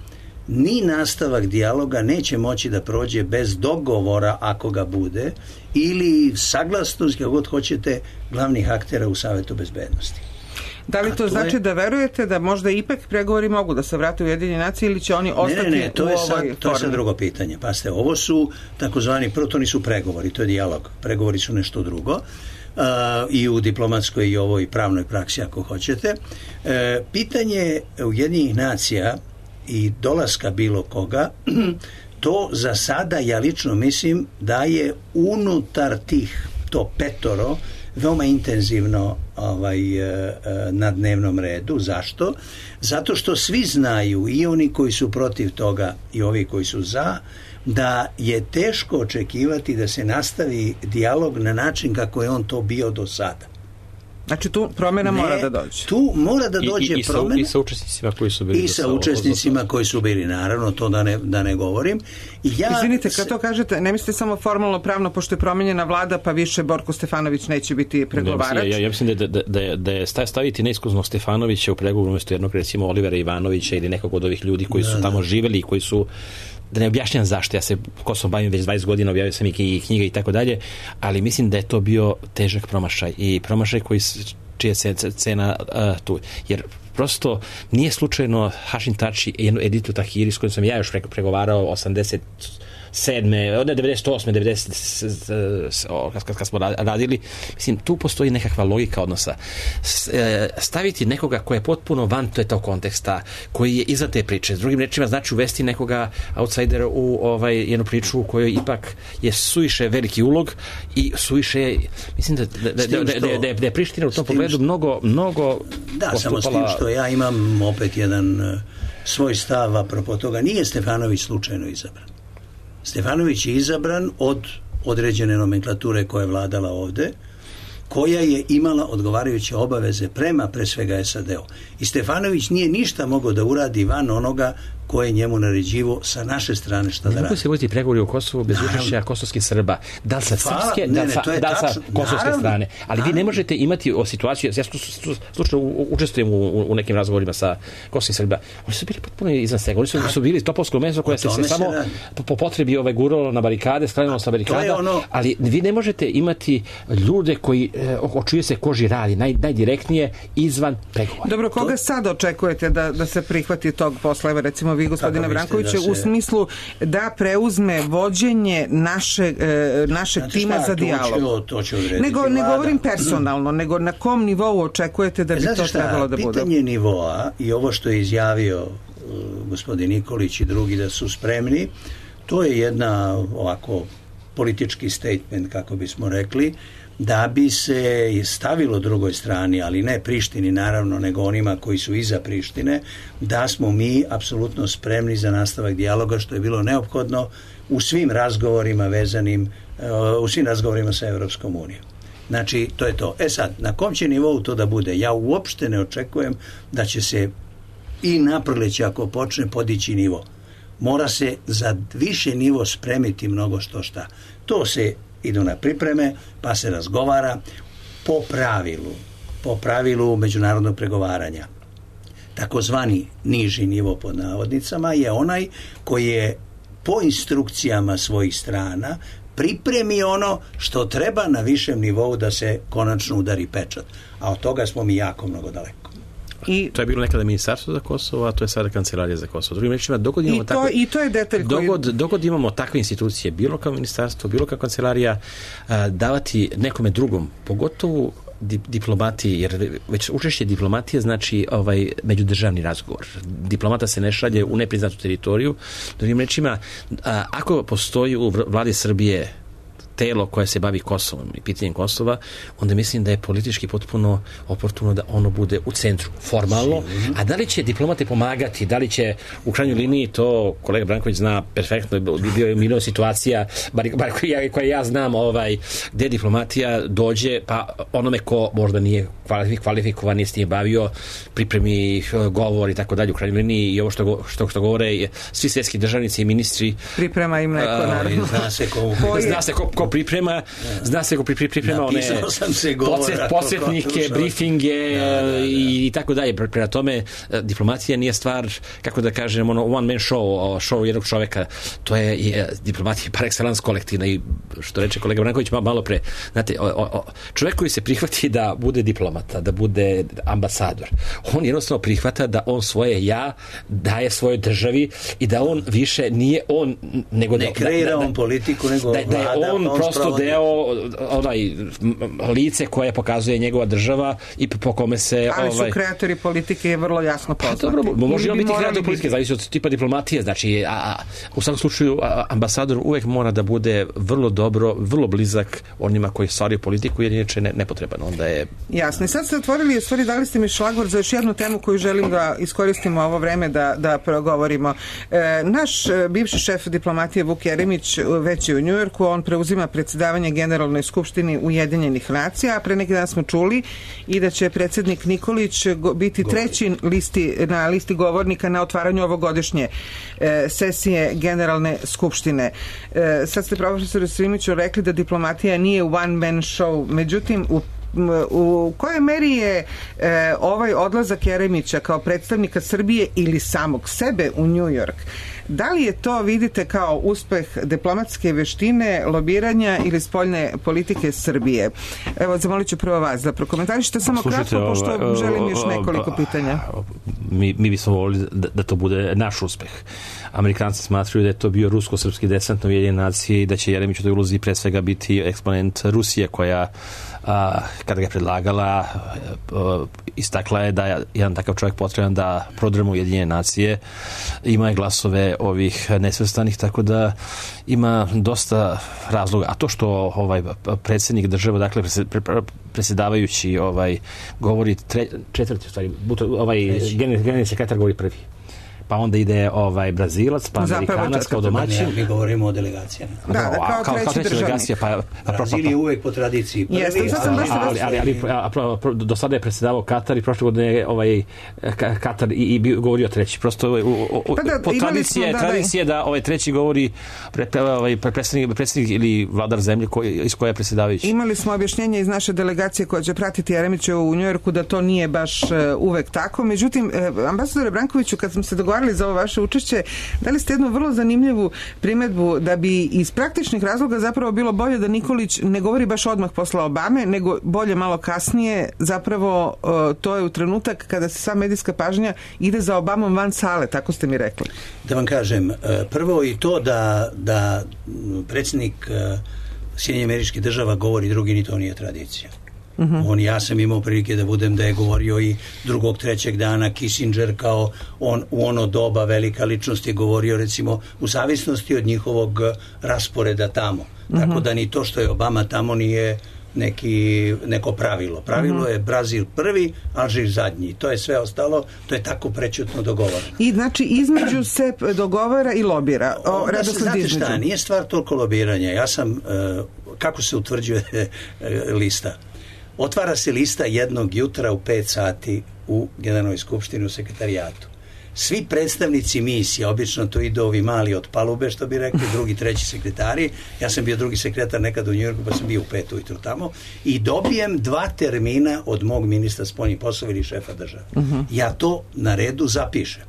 ni nastavak dijaloga neće moći da prođe bez dogovora, ako ga bude, ili saglasnost, kako god hoćete, glavnih aktera u Savetu bezbednosti. Da li to, to znači je... da verujete da možda ipak pregovori mogu da se vrate u Ujedinjene nacije, ili će oni ostati ne, ne, ne, to u je ovoj sad, formi? To je sad drugo pitanje. Pazite, ovo su takozvani, prvo to nisu pregovori, to je dijalog. Pregovori su nešto drugo. Uh, i u diplomatskoj i ovoj pravnoj praksi, ako hoćete. Uh, pitanje Ujedinjenih nacija i dolaska bilo koga, to za sada, ja lično mislim, da je unutar tih, to petoro, veoma intenzivno ovaj, na dnevnom redu. Zašto? Zato što svi znaju, i oni koji su protiv toga i ovi koji su za, da je teško očekivati da se nastavi dijalog na način kako je on to bio do sada. Znači tu promjena ne, mora da dođe. Tu mora da dođe I, i, promjena. I sa učesnicima koji su bili. I sa učesnicima koji su bili, naravno, to da ne, da ne govorim. I ja Izvinite, kad to kažete, ne mislite samo formalno pravno, pošto je promenjena vlada, pa više Borko Stefanović neće biti pregovarač? Ja, ja, ja mislim da, da, da, da je staviti neiskuznog Stefanovića u pregovoru umjesto jednog, recimo, Olivera Ivanovića ili nekog od ovih ljudi koji su da, tamo da. živeli i koji su, da ne objašnjam zašto, ja se Kosovom bavim već dvadeset godina, objavio sam i knjige i tako dalje, ali mislim da je to bio težak promašaj i promašaj koji čija je cena uh, tu. Jer prosto nije slučajno Hašim Tači jednu Editu Tahiri s kojom sam ja još pregovarao osamdeset sedme, od devedeset osme, devedeset kad, kad smo radili, mislim, tu postoji nekakva logika odnosa. Staviti nekoga ko je potpuno van tog konteksta, koji je iza te priče, s drugim rečima znači uvesti nekoga outsidera u ovaj, jednu priču u kojoj ipak je suviše veliki ulog i suviše, mislim da, da, da, da, da, da, da je Priština u tom pogledu mnogo, mnogo da, postupala... samo s tim što ja imam opet jedan uh, svoj stav apropo toga. Nije Stefanović slučajno izabran. Stefanović je izabran od određene nomenklature koja je vladala ovde, koja je imala odgovarajuće obaveze prema pre svega es a de-u. I Stefanović nije ništa mogao da uradi van onoga koje je njemu naređivo sa naše strane šta da radi. Ne mogu se voditi pregovori u Kosovu bez učešća kosovskih Srba. Da li sa srpske, da li sa, da sa kosovske strane. Ali naravno. Vi ne možete imati o situaciju, ja slučajno učestvujem u, u nekim razgovorima sa kosovskih Srba, oni su bili potpuno izvan svega. Oni su, su bili topovsko meso koje se, se samo po, po potrebi ovaj guralo na barikade, sklanjalo sa barikada, ono... ali vi ne možete imati ljude koji o čuje se koži radi, naj, najdirektnije izvan pregovora. Dobro, koga to... sad očekujete da, da se prihvati tog posla? Evo recimo vi, gospodine Brankoviću, da se... u smislu da preuzme vođenje naše, e, našeg znači, tima šta, za dijalog. To će odrediti nego, ne govorim personalno, nego na kom nivou očekujete da bi e, to šta, trebalo da bude? Pitanje nivoa i ovo što je izjavio uh, gospodin Nikolić i drugi da su spremni, to je jedna ovako politički statement, kako bismo rekli, da bi se stavilo drugoj strani, ali ne Prištini naravno, nego onima koji su iza Prištine, da smo mi apsolutno spremni za nastavak dijaloga, što je bilo neophodno u svim razgovorima vezanim, u svim razgovorima sa Evropskom unijom. Znači, to je to. E sad, na kom će nivou to da bude? Ja uopšte ne očekujem da će se i naproleće, ako počne, podići nivo. Mora se za više nivo spremiti mnogo što šta. To se idu na pripreme, pa se razgovara po pravilu, po pravilu međunarodnog pregovaranja. Takozvani niži nivo pod navodnicama je onaj koji je po instrukcijama svojih strana pripremi ono što treba na višem nivou da se konačno udari pečat. A od toga smo mi jako mnogo daleko. I, to je bilo nekada ministarstvo za Kosovo, a to je sada kancelarija za Kosovo. Drugim rečima, dogod imamo i, to, takve, i to je detalj koji... dogod, dogod imamo takve institucije, bilo kao ministarstvo, bilo kao kancelarija, a, davati nekome drugom, pogotovo di, diplomatiji, jer već učešće diplomatije znači ovaj međudržavni razgovor. Diplomata se ne šalje u nepriznatu teritoriju. Drugim rečima, a, ako postoji u vladi Srbije telo koje se bavi Kosovom i pitanjem Kosova, onda mislim da je politički potpuno oportuno da ono bude u centru, formalno. A da li će diplomate pomagati, da li će u krajnjoj liniji, to kolega Branković zna perfektno, bio je milion situacija, bar, bar koja, koja ja znam, ovaj, gde diplomatija dođe, pa onome ko možda nije kvalifikovan, nije s tim bavio, pripremi govor i tako dalje u krajnjoj liniji i ovo što, što, što govore svi svjetski državnici i ministri. Priprema im neko, naravno. Zna se ko, zna se ko, ko priprema, zna se ko priprema one podsjetnike, briefinge da, da, da. i tako dalje. Prema tome, diplomatija nije stvar, kako da kažem, ono one man show, show jednog čoveka. To je, je diplomatija par excellence kolektivna i što reče kolega Branković malo pre. Znate, o, o, čovjek koji se prihvati da bude diplomata, da bude ambasador, on jednostavno prihvata da on svoje ja daje svojoj državi i da on više nije on, nego ne da, kreira da, on politiku, nego da, da je vlada, on, on prosto sprovodi. deo onaj lice koje pokazuje njegova država i po kome se ali ovaj... su kreatori politike vrlo jasno poznati. Pa dobro, može on biti kreator biti... politike, zavisi od tipa diplomatije, znači a, a, u svakom slučaju a, ambasador uvek mora da bude vrlo dobro, vrlo blizak onima koji stvaraju politiku, jer inače ne, nepotreban, onda je... Jasno, i sad ste otvorili, u stvari dali ste mi šlagvor za još jednu temu koju želim da iskoristimo ovo vreme da, da progovorimo. E, naš bivši šef diplomatije Vuk Jeremić već je u Njujorku, on preuzima predsjedavanje Generalnoj skupštini Ujedinjenih nacija, a pre neki dan smo čuli i da će predsjednik Nikolić biti treći listi, na listi govornika na otvaranju ovogodišnje e, sesije Generalne skupštine. E, sad ste profesoru Simiću rekli da diplomatija nije one man show, međutim u u kojoj meri je e, ovaj odlazak Jeremića kao predstavnika Srbije ili samog sebe u New York, da li je to vidite kao uspeh diplomatske veštine, lobiranja ili spoljne politike Srbije? Evo, zamolit ću prvo vas da prokomentarišete samo Slušajte, kratko, pošto ova, želim još nekoliko pitanja. mi, mi bismo volili da, da to bude naš uspeh. Amerikanci smatruju da je to bio rusko-srpski desant na Ujedinjene nacije i da će Jeremić u toj ulozi pre svega biti eksponent Rusije koja a, kada ga je predlagala a, istakla je da je jedan takav čovjek potreban da prodrema Ujedinjene nacije. Ima je glasove ovih nesvrstanih, tako da ima dosta razloga. A to što ovaj predsjednik države, dakle predsjedavajući ovaj govori tre, četvrti u stvari, ovaj generalni sekretar govori prvi. Pa onda ide ovaj Brazilac, pa Amerikanac kao domaćin. Mi govorimo o delegacijama. Da, da, kao, kao, kao treći delegacija. Pa, pa, Brazil je uvek po tradiciji prvi. Jeste, sad sam ali, ali, ali, ali a, a, do sada je predsjedavao Katar i prošle godine ovaj Katar i, i bio, govorio treći. Prosto o, o, pa da, po tradicije, da, tradicije da, da ovaj treći govori pre, ovaj, predsjednik, predsjednik ili vladar zemlje koji, iz koje je predsjedavajući. Imali smo objašnjenje iz naše delegacije koja će pratiti Jeremića u Njujorku da to nije baš uh, uvek tako. Međutim, uh, ambasadore Brankoviću, kad smo se dogovarali za ovo vaše učešće, dali ste jednu vrlo zanimljivu primedbu da bi iz praktičnih razloga zapravo bilo bolje da Nikolić ne govori baš odmah posle Obame, nego bolje malo kasnije, zapravo to je u trenutak kada se sva medijska pažnja ide za Obamom van sale, tako ste mi rekli. Da vam kažem, prvo i to da, da predsjednik Sjedinjenih Američkih Država govori drugi, ni to nije tradicija. Uh-huh. On, ja sam imao prilike da budem da je govorio i drugog, trećeg dana Kissinger kao on u ono doba velika ličnost je govorio recimo u zavisnosti od njihovog rasporeda tamo. Uh-huh. Tako da ni to što je Obama tamo nije neki, neko pravilo. Pravilo uh-huh. je Brazil prvi, Alžir zadnji. To je sve ostalo, to je tako prećutno dogovoreno. I znači između se dogovara i lobira. O, Onda se, znate šta, nije stvar toliko lobiranja. Ja sam, uh, kako se utvrđuje uh, lista? Otvara se lista jednog jutra u pet sati u Generalnoj skupštini u sekretarijatu. Svi predstavnici misija, obično to idu ovi mali od palube, što bi rekli, drugi, treći sekretari. Ja sam bio drugi sekretar nekad u Njujorku, pa sam bio u pet ujutru tamo. I dobijem dva termina od mog ministra spoljnih poslova ili šefa države. Uh-huh. Ja to na redu zapišem.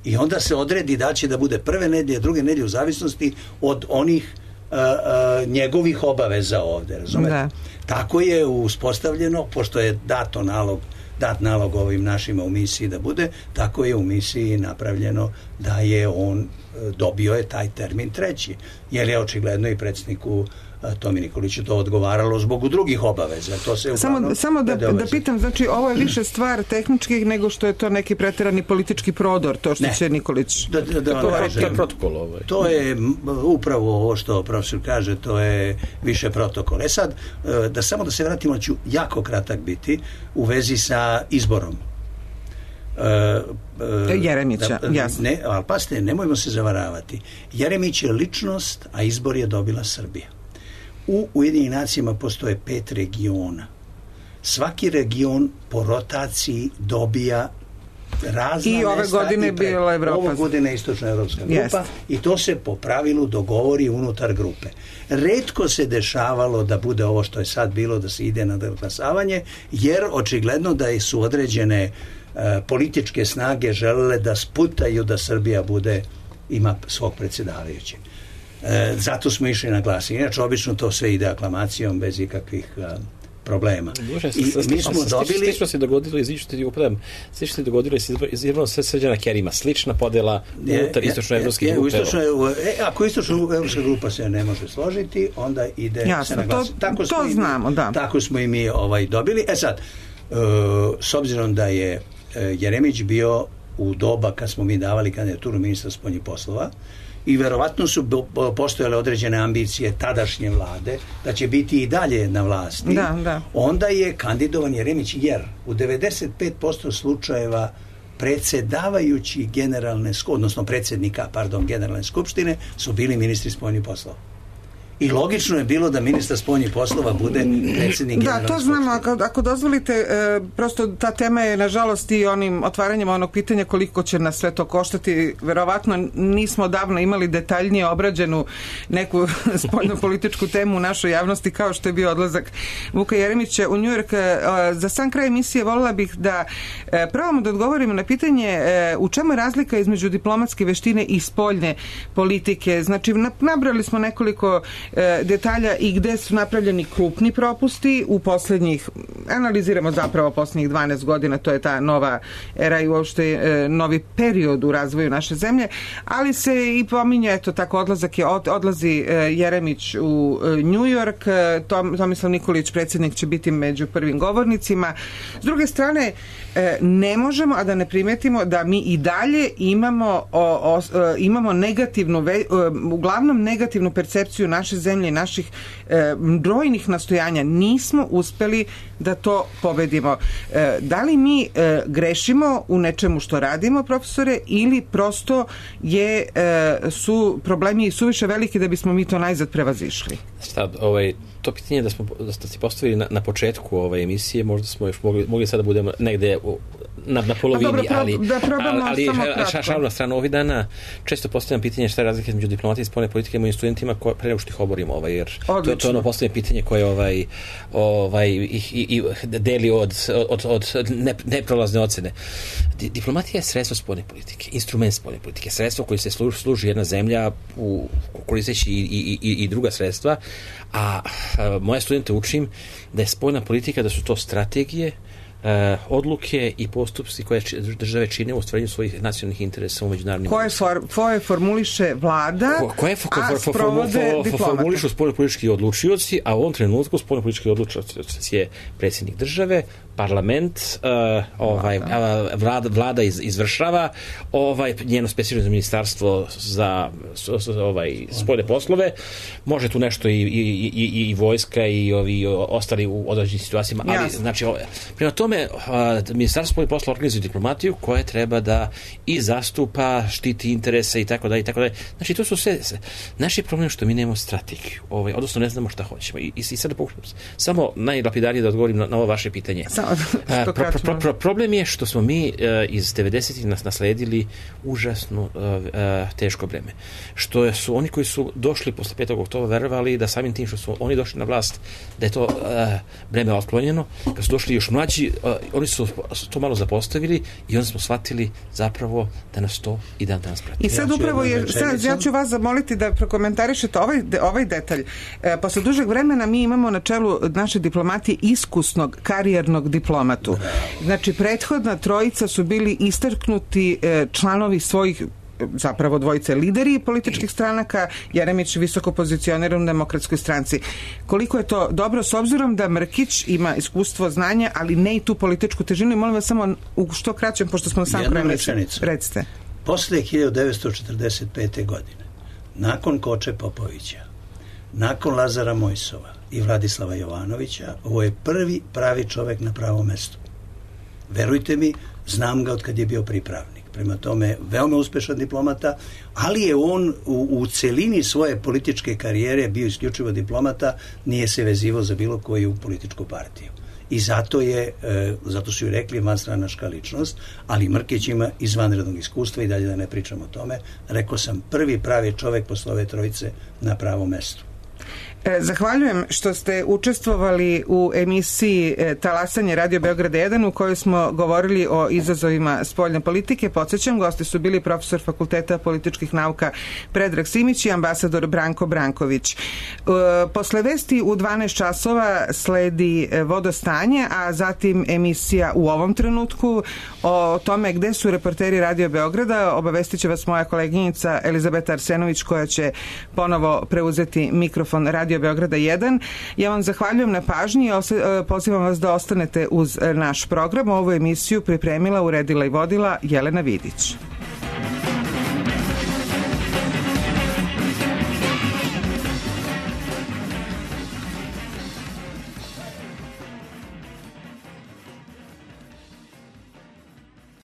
I onda se odredi da će da bude prve nedelje, druge nedelje u zavisnosti od onih Uh, uh, njegovih obaveza ovde, razumete? Da. Tako je uspostavljeno, pošto je dato nalog, dat nalog ovim našima u misiji da bude, tako je u misiji napravljeno da je on uh, dobio je taj termin treći, jer je očigledno i predsjedniku Tomi Nikoliću to odgovaralo zbog drugih obaveza. To se samo samo da, da pitam, znači ovo je više stvar tehničkih nego što je to neki preterani politički prodor, to što ne. će Nikolić... Da, da, da to, kažem, to je protokol ovaj. To je upravo ovo što profesor kaže, to je više protokol. E sad, da samo da se vratimo, ću jako kratak biti u vezi sa izborom. Uh, uh, Jeremića, da, jasno. Ne, ali pasite, nemojmo se zavaravati. Jeremić je ličnost, a izbor je dobila Srbija. U Ujedinjenim nacijama postoje pet regiona. Svaki region po rotaciji dobija razna i ove godine je bila Evropa. Ove godine je istočna evropska grupa yes. i to se po pravilu dogovori unutar grupe. Retko se dešavalo da bude ovo što je sad bilo, da se ide na glasavanje, jer očigledno da su određene uh, političke snage želele da sputaju da Srbija bude, ima svog predsjedavajućeg. E, zato smo išli na glasanje. Inače, obično to sve ide aklamacijom bez ikakvih a, problema. Bože, I s, s, mi smo s, dobili... Slično se dogodilo, izvišu ti upadam, slično se dogodilo i izvrlo sve Srđana Kerima. Slična podela unutar istočno-evropskih grupa. E, ako istočno-evropska grupa se ne može složiti, onda ide jasno, se na glasanje. Tako to znamo, mi, da. Tako smo i mi ovaj, dobili. E sad, uh, s obzirom da je uh, Jeremić bio u doba kad smo mi davali kandidaturu ministra spoljnih poslova, i verovatno su postojale određene ambicije tadašnje vlade da će biti i dalje na vlasti, da, da. onda je kandidovan Jeremić, jer u devedeset pet posto slučajeva predsjedavajući generalne, odnosno predsjednika, pardon, generalne skupštine su bili ministri spoljnih poslova. I logično je bilo da ministar spoljnih poslova bude predsjednik generalne Da, to znamo, ako, ako dozvolite, e, prosto ta tema je nažalost i onim otvaranjem onog pitanja koliko će nas sve to koštati. Verovatno nismo davno imali detaljnije obrađenu neku spoljno političku temu u našoj javnosti kao što je bio odlazak Vuka Jeremića u Njujork. E, za sam kraj emisije voljela bih da e, probamo da odgovorimo na pitanje e, u čemu je razlika između diplomatske veštine i spoljne politike. Znači, nabrali smo nekoliko detalja i gde su napravljeni krupni propusti u poslednjih, analiziramo zapravo poslednjih dvanaest godina, to je ta nova era i uopšte novi period u razvoju naše zemlje, ali se i pominje, eto tako, odlazak je, odlazi Jeremić u New York, Tom, Tomislav Nikolić, predsjednik, će biti među prvim govornicima. S druge strane, ne možemo, a da ne primetimo da mi i dalje imamo, o, o, imamo negativnu, ve, uglavnom negativnu percepciju naše zemlje i naših e, brojnih nastojanja. Nismo uspeli da to pobedimo. E, da li mi e, grešimo u nečemu što radimo, profesore, ili prosto je, e, su problemi suviše veliki da bismo mi to najzad prevazišli? Šta, ovaj, to pitanje da smo da ste postavili na, na početku ove emisije, možda smo još mogli, mogli sada budemo negde u, na, na polovini, dobro, pro, ali, da ali, ali šalno na stranu ovih dana često postavljam pitanje šta je razlika između diplomatije i spoljne politike mojim studentima ko, pre nego što ih oborimo, ovaj, jer to, to je ono postavljanje pitanje koje ovaj, ovaj, ih, i, i deli od, od, od ne, neprolazne ocene. Di, diplomatija je sredstvo spoljne politike, instrument spoljne politike, sredstvo koje se služi, služi jedna zemlja u koristeći i, i, i, i druga sredstva, a, a moje studente učim da je spoljna politika, da su to strategije, Uh, odluke i postupci koje države čine u ostvarenju svojih nacionalnih interesa u međunarodnim koje, for, koje formuliše vlada, Ko, koje for, a for, for, sprovode for, diplomate. Formulišu spoljnopolitički odlučioci, a u ovom trenutku spoljnopolitički odlučioci je predsjednik države, parlament, uh, ovaj, vlada, vlada iz, izvršava, ovaj, njeno specijalno ministarstvo za ovaj, spoljne poslove, može tu nešto i, i, i, i vojska i ovi ostali u određenim situacijama, ali Jasne. znači prema tome ministarstvo spoljnih poslova organizuje diplomatiju koja treba da i zastupa, štiti interese i tako dalje i tako dalje. Znači to su sve, naš je problem što mi nemamo strategiju, ovaj, odnosno ne znamo šta hoćemo i, i, i sada pokušam samo najlapidarnije da odgovorim na, na ovo vaše pitanje. Pro, pro, pro, pro, problem je što smo mi uh, iz devedesetih nas nasledili užasno uh, uh, teško breme. Što su oni koji su došli posle petog oktobra verovali da samim tim što su oni došli na vlast da je to uh, breme otklonjeno. Kad su došli još mlađi, uh, oni su to malo zapostavili i onda smo shvatili zapravo da nas to i dan danas prati. I sad ja upravo je, sad, ja ću vas zamoliti da prokomentarišete ovaj, de, ovaj detalj. E, posle dužeg vremena mi imamo na čelu naše diplomatije iskusnog, karijernog diplomatu. Znači, prethodna trojica su bili istaknuti e, članovi svojih, zapravo dvojice lideri političkih stranaka, Jeremić visoko pozicioniran u Demokratskoj stranci. Koliko je to dobro, s obzirom da Mrkić ima iskustvo, znanja, ali ne i tu političku težinu, i molim vas samo u što kraćem, pošto smo na sam kraju rečenicu. Recite. Posle hiljadu devetsto četrdeset pete. godine, nakon Koče Popovića, nakon Lazara Mojsova i Vladislava Jovanovića, ovo je prvi pravi čovek na pravom mestu. Verujte mi, znam ga od kad je bio pripravnik. Prema tome, veoma uspešan diplomata, ali je on u, u celini svoje političke karijere bio isključivo diplomata, nije se vezivao za bilo koju političku partiju. I zato je, e, zato su ju rekli vanstranačka ličnost, ali Mrkić ima izvanrednog iskustva i dalje da ne pričam o tome. Rekao sam, prvi pravi čovek posle ove trojice na pravom mestu. Zahvaljujem što ste učestvovali u emisiji Talasanje Radio Beograd jedan u kojoj smo govorili o izazovima spoljne politike. Podsjećam, gosti su bili profesor Fakulteta političkih nauka Predrag Simić i ambasador Branko Branković. Posle vesti u dvanaest časova sledi Vodostanje, a zatim emisija U ovom trenutku o tome gde su reporteri Radio Beograda. Obavestit će vas moja koleginica Elizabeta Arsenović koja će ponovo preuzeti mikrofon Radio Beograda jedan. Ja vam zahvaljujem na pažnji i pozivam vas da ostanete uz naš program. Ovu emisiju pripremila, uredila i vodila Jelena Vidić.